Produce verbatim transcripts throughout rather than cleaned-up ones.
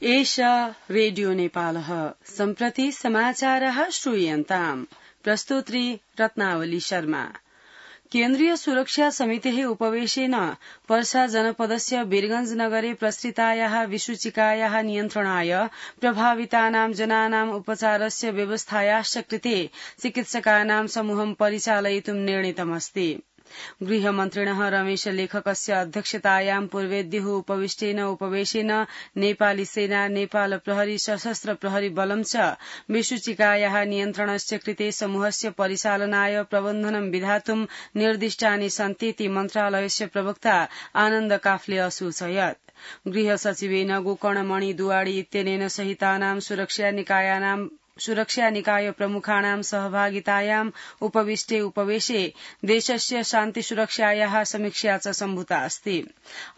एषा रेडियो नेपालः सम्प्रति समाचारः श्रूयन्ताम्। प्रस्तोत्री रत्नावली शर्मा। केन्द्रीय सुरक्षा समितेः उपवेशेन पर्सा जनपदस्य वीरगंज नगरे प्रसृतायाः विसूचिकायाः नियन्त्रणाय प्रभावितानां जनानां उपचारस्य व्यवस्थायाश्च कृते चिकित्सकानां समूहं परिचालयितुं निर्णीतमस्ति। गृहमन्त्रिणः रमेश लेखकस्य अध्यक्षतायां पूर्वेद्युः उपविष्टेन उपवेशेन नेपाली सेना, नेपाल प्रहरी, सशस्त्र प्रहरी बलं च विसूचिकायाः नियन्त्रणस्य कृते समूहस्य परिचालनाय प्रबन्धनं विधातुं निर्दिष्टानि सन्तीति मन्त्रालयस्य प्रवक्ता आनन्द काफले असूचयत्। गृह सचिवेन गोकर्णमणि दुवाडी इत्यनेन सहितानां सुरक्षा निकायानां सुरक्षा निकाय प्रमुखाणां सहभागितायाम् उपविष्टे उपवेशे देशस्य शान्ति सुरक्षायाः समीक्षा च सम्भूता अस्ति।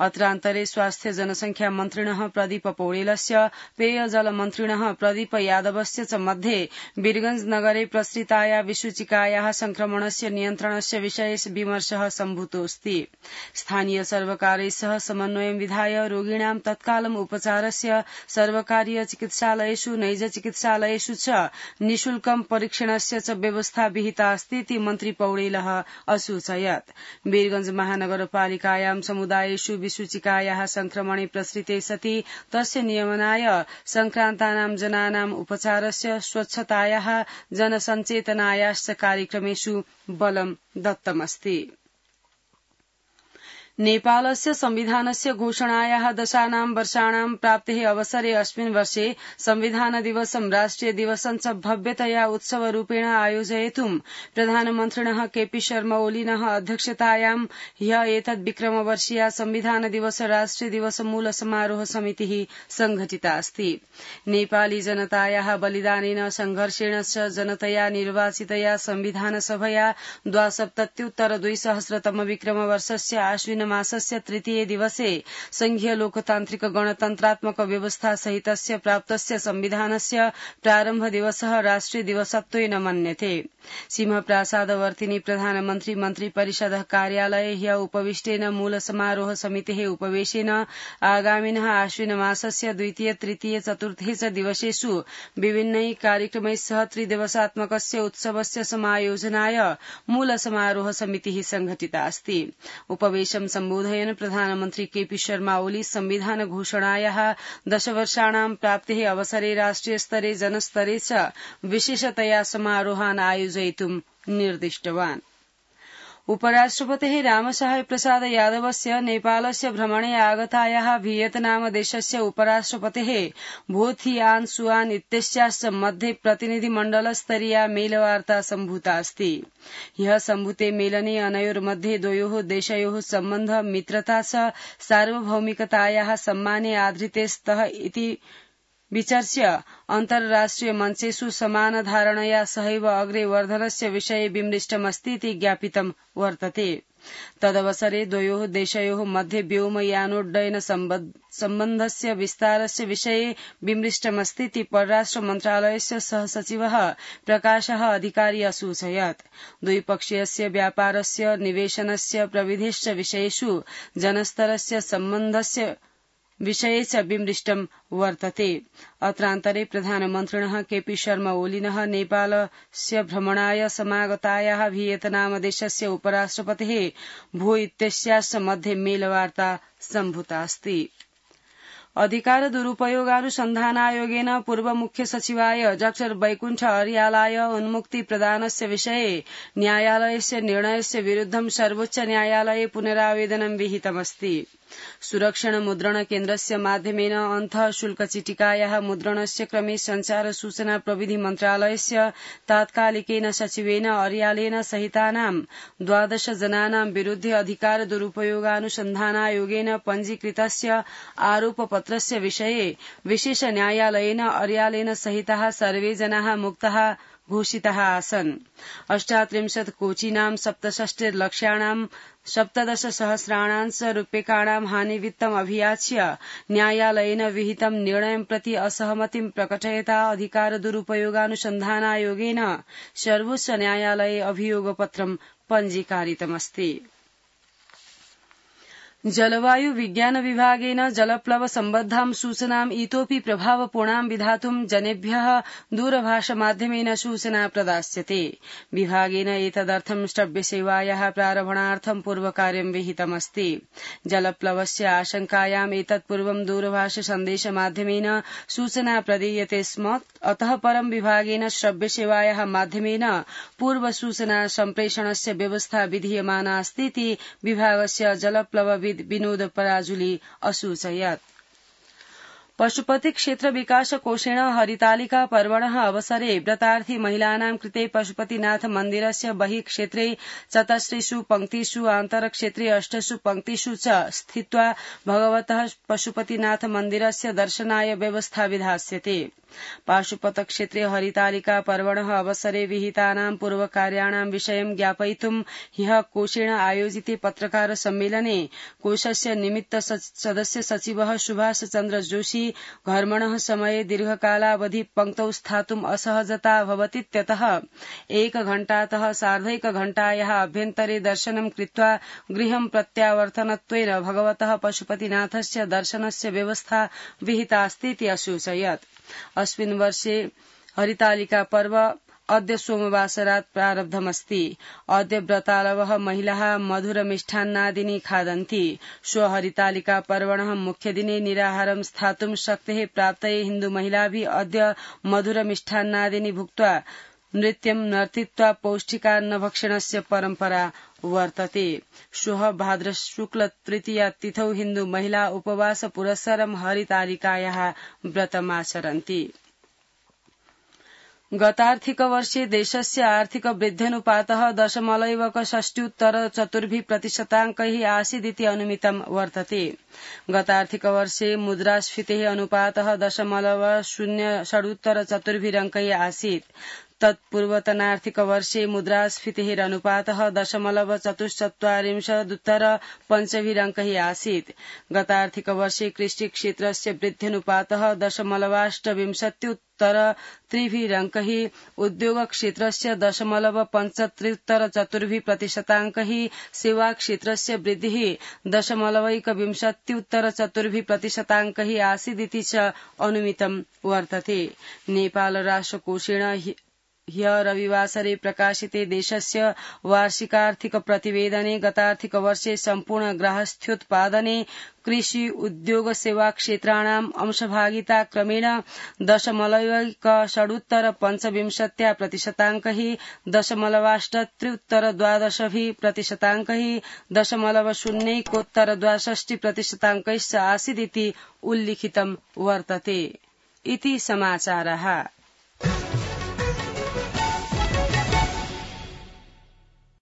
अत्रान्तरे स्वास्थ्य जनसंख्या मन्त्रिणः प्रदीप पौडेलस्य, पेयजल मन्त्रिणः प्रदीप यादवस्य च मध्ये वीरगंज नगरे प्रसृताया विसूचिकायाः संक्रमणस्य नियन्त्रणस्य विषये विमर्शः सम्भूतोऽस्ति। स्थानीय सर्वकारैः सह समन्वयं विधाय रोगिणां तत्कालम् उपचारस्य सर्वकारीय चिकित्सालयेषु, नैज चिकित्सालयेषु निःशुल्कं परीक्षणस्य च व्यवस्था विहिता अस्ति मन्त्री पौडेलः असूचयत्। वीरगंज महानगरपालिकायां समुदायेषु विसूचिकायाः संक्रमणे प्रसृते सति तस्य नियमनाय संक्रान्तानां जनानां उपचारस्य, स्वच्छतायाः, जनसञ्चेतनायाश्च कार्यक्रमेषु बलं दत्तमस्ति। नेपालस्य संविधानस्य घोषणायाः दशानां वर्षाणां प्राप्तेः अवसरे अस्मिन् वर्षे संविधान दिवसं राष्ट्रिय दिवसं च भव्यतया उत्सवरूपेण आयोजयितुं प्रधानमन्त्रिणः केपी शर्मा ओलीनः अध्यक्षतायां ह्यः एतद् विक्रमवर्षीया संविधान दिवस राष्ट्रिय दिवस मूल समारोह समितिः संघटिता अस्ति। नेपाली जनतायाः बलिदानेन संघर्षेण च जनतया निर्वाचितया संविधान सभया द्वासप्तत्युत्तर द्विसहस्रतम विक्रमवर्षस्य आश्विन मासस्य तृतीये दिवसे संघीय लोकतान्त्रिक गणतन्त्रात्मक व्यवस्था सहितस्य प्राप्तस्य संविधानस्य प्रारम्भ दिवसः राष्ट्रिय दिवसत्वेन मन्यते। सिंहप्रासादवर्तिनि प्रधानमन्त्री मन्त्री परिषदः कार्यालये ह्यः उपविष्टेन मूल समारोह समितेः उपवेशेन आगामिनः आश्विन मासस्य द्वितीय, तृतीय, चतुर्थे च दिवसेषु विभिन्नैः कार्यक्रमैः सह त्रिदिवसात्मकस्य उत्सवस्य समायोजनाय मूल समारोह समितिः संघटिता अस्ति। उपवेशं सम्बोधयन् प्रधानमन्त्री केपी शर्मा ओली संविधान घोषणायाः दशवर्षाणां प्राप्तेः अवसरे राष्ट्रिय स्तरे, जनस्तरे च विशेषतया समारोहान् आयोजयितुं निर्दिष्टवान्। उपराष्ट्रपतेः रामसहाय प्रसाद यादवस्य नेपालस्य भ्रमणे आगतायाः भियतनाम देशस्य उपराष्ट्रपतेः भो थिआन सुआन इत्यस्याश्च मध्ये प्रतिनिधिमण्डलस्तरीया मेलवार्ता सम्भूता अस्ति। ह्यः सम्भूते मेलने अनयोर्मध्ये द्वयोः देशयोः सम्बन्ध, मित्रता च सार्वभौमिकतायाः सम्माने आधृते स्तः इति विचर्च्य अन्तर्राष्ट्रिय मञ्चेषु समानधारणया सहैव अग्रे वर्धनस्य विषये विमृष्टमस्ति इति ज्ञापितं वर्तते। तदवसरे द्वयोः देशयोः मध्ये व्योमयानोड्डयन सम्बन्धस्य विस्तारस्य विषये विमृष्टमस्ति इति परराष्ट्र मन्त्रालयस्य सहसचिवः प्रकाशः अधिकारी असूचयत्। द्विपक्षीयस्य व्यापारस्य, निवेशनस्य प्रविधिश्च विषयेषु जनस्तरस्य सम्बन्धस्य विषये च विमृष्टं वर्तते। अत्रान्तरे प्रधानमन्त्रिणः केपी शर्मा ओलीनः नेपालस्य भ्रमणाय समागतायाः भियतनाम देशस्य उपराष्ट्रपतेः भो इत्यस्याश्च मध्ये मेलवार्ता सम्भूता अस्ति। अधिकार दुरुपयोगानुसन्धानायोगेन पूर्व मुख्य सचिवाय डॉक्टर वैकुण्ठ अर्यालाय उन्मुक्ति प्रदानस्य विषये न्यायालयस्य निर्णयस्य विरुद्धं सर्वोच्च न्यायालये पुनरावेदनं विहितमस्ति। सुरक्षण मुद्रण केन्द्रस्य माध्यमेन अन्तः शुल्कचिटिकायाः मुद्रणस्य क्रमे संचार सूचना प्रविधि मन्त्रालयस्य तात्कालिकेन सचिवेन अर्यालेन सहितानां द्वादश जनानां विरुद्धे अधिकार दुरुपयोगानुसन्धानायोगेन पञ्जीकृतस्य आरोपपत्रस्य विषये विशेष न्यायालयेन अर्यालेन सहिताः सर्वे जनाः मुक्ताः घोषिताः आसन्। अष्टात्रिंशत् कोचिनां सप्तषष्टिर्लक्षाणां सप्तदश सहस्राणां च रूप्यकाणां हानिवित्तम् अभियाच्य न्यायालयेन विहितं निर्णयं प्रति असहमतिं प्रकटयता अधिकार दुरुपयोगानुसन्धानायोगेन सर्वोच्च न्यायालये अभियोगपत्रं पञ्जीकारितमस्ति। जलवायु विज्ञान विभागेन जलप्लव सम्बद्धां सूचनाम् इतोऽपि प्रभावपूर्णां विधातुं जनेभ्यः दूरभाषमाध्यमेन सूचना प्रदास्यते। विभागेन एतदर्थं श्रव्यसेवायाः प्रारम्भार्थं पूर्वकार्यं विहितमस्ति। जलप्लवस्य आशंकायाम् एतत्पूर्वं दूरभाष सन्देशमाध्यमेन सूचना प्रदीयते स्म। अतः परं विभागेन श्रव्यसेवायाः माध्यमेन पूर्वसूचना सम्प्रेषणस्य व्यवस्था विधीयमाना अस्ति इति विभागस्य जलप्लव विनोद पराजुली असूचयत्। पशुपति क्षेत्र विकास कोषेण हरितालिका पर्वणः अवसरे व्रतार्थी महिलानां कृते पशुपतिनाथ मन्दिरस्य बहिः क्षेत्रे चतस्रेषु पंक्तिषु आन्तरक्षेत्रे अष्टसु पंक्तिषु च स्थित्वा भगवतः पशुपतिनाथ मन्दिरस्य दर्शनाय व्यवस्था विधास्यते। पाशुपत क्षेत्रे हरितालिका पर्वणः अवसरे विहितानां पूर्वकार्याणां विषयं ज्ञापयितुं ह्यः कोषेण आयोजिते पत्रकार सम्मेलने कोषस्य निमित्त सदस्य सचिवः सुभाष चन्द्र जोशी घर्मणः समये दीर्घकालावधि पंक्तौ स्थातुम् असहजता भवतीत्यतः एकघण्टातः सार्धैकघण्टायाः अभ्यन्तरे दर्शनं कृत्वा गृहं प्रत्यावर्तनत्वेन भगवतः पशुपतिनाथस्य दर्शनस्य व्यवस्था विहितास्तीति असूचयत्। अस्मिन् वर्षे हरितालिका पर्व अद्य सोमवासरात् प्रारब्धमस्ति। अद्य व्रतालवः महिलाः मधुरमिष्ठान्नादीनि खादन्ति। श्व हरितालिका पर्वणः मुख्यदिने निराहारं स्थातुं शक्तेः प्राप्तये हिन्दुमहिलाभिः अद्य मधुरमिष्ठान्नादीनि भुक्त्वा नृत्यं नर्तित्वा पौष्टिकान्नभक्षणस्य परम्परा वर्तते। श्वः भाद्रशुक्ल तृतीया तिथौ हिन्दु महिला उपवास पुरस्सरं हरितालिकायाः व्रतमाचरन्ति। गतार्थिक वर्षे देशस्य आर्थिक वृद्ध्यनुपातः दशमलैवक षष्ट्युत्तर चतुर्भिः प्रतिशताङ्कैः आसीदिति अनुमितं वर्तते। गतार्थिक वर्षे मुद्रास्फीतेः अनुपातः दशमलव शून्य षडुत्तर चतुर्भिरङ्कैः आसीत्। तत्पूर्वतनार्थिक वर्षे मुद्रास्फीतेः अनुपातः दशमलव चतुश्चत्वारिंशदुत्तर पञ्चभिरङ्कैः आसीत्। गतार्थिक वर्षे कृषिक्षेत्रस्य वृद्ध्यनुपातः दशमलवाष्टविंशत्युत्तर त्रिभिरङ्कैः, उद्योगक्षेत्रस्य दशमलव पञ्चत्रिंशत्युत्तर चतुर्भिः प्रतिशताङ्कैः, सेवाक्षेत्रस्य वृद्धिः दशमलवैकविंशत्युत्तर चतुर्भिः प्रतिशताङ्कैः आसीदिति च अनुमितं वर्तते। नेपाल राष्ट्रकोषेण ह्यः रविवासरे प्रकाशिते देशस्य वार्षिकार्थिक प्रतिवेदने गतार्थिक वर्षे सम्पूर्ण गार्हस्थ्योत्पादने कृषि उद्योग सेवा क्षेत्राणाम् अंशभागिता क्रमेण दशमलवैक षडुत्तर पञ्चविंशत्या प्रतिशताङ्कैः, दशमलवाष्टत्रिंशत्युत्तर द्वादशभिः प्रतिशताङ्कैः, दशमलव शून्यैकोत्तर द्वाषष्टि प्रतिशताङ्कैश्च आसीदिति उल्लिखितं वर्तते। इति समाचारः।